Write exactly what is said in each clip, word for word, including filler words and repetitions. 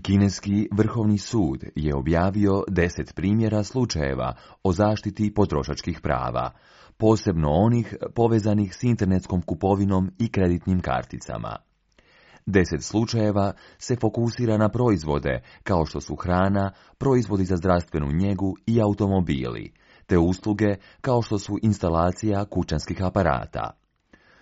Kineski Vrhovni sud je objavio deset primjera slučajeva o zaštiti potrošačkih prava, posebno onih povezanih s internetskom kupovinom i kreditnim karticama. Deset slučajeva se fokusira na proizvode kao što su hrana, proizvodi za zdravstvenu njegu i automobili, te usluge kao što su instalacija kućanskih aparata.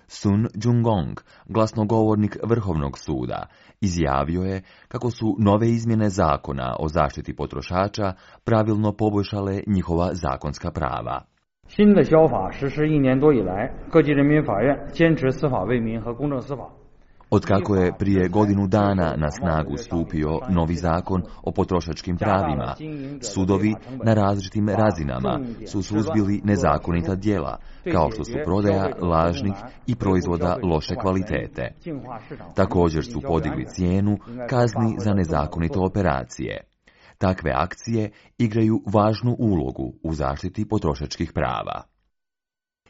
Sun Jungong, glasnogovornik Vrhovnog suda, izjavio je kako su nove izmjene zakona o zaštiti potrošača pravilno poboljšale njihova zakonska prava. 新的消法实施一年多以来，各级人民法院坚持司法为民和公正司法。 Otkako je prije godinu dana na snagu stupio novi zakon o potrošačkim pravima, sudovi na različitim razinama su suzbili nezakonita djela, kao što su prodaja lažnih i proizvoda loše kvalitete. Također su podigli cijenu kazni za nezakonite operacije. Takve akcije igraju važnu ulogu u zaštiti potrošačkih prava.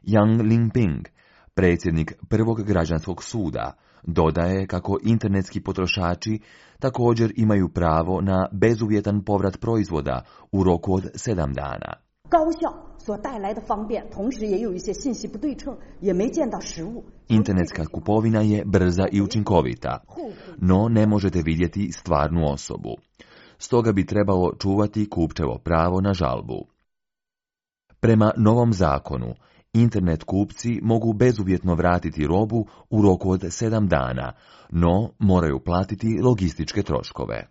Yang Lingping, predsjednik prvog građanskog suda, dodaje kako internetski potrošači također imaju pravo na bezuvjetan povrat proizvoda u roku od sedam dana. Internetska kupovina je brza i učinkovita, no ne možete vidjeti stvarnu osobu. Stoga bi trebalo čuvati kupčevo pravo na žalbu. Prema novom zakonu, internet kupci mogu bezuvjetno vratiti robu u roku od sedam dana, no moraju platiti logističke troškove.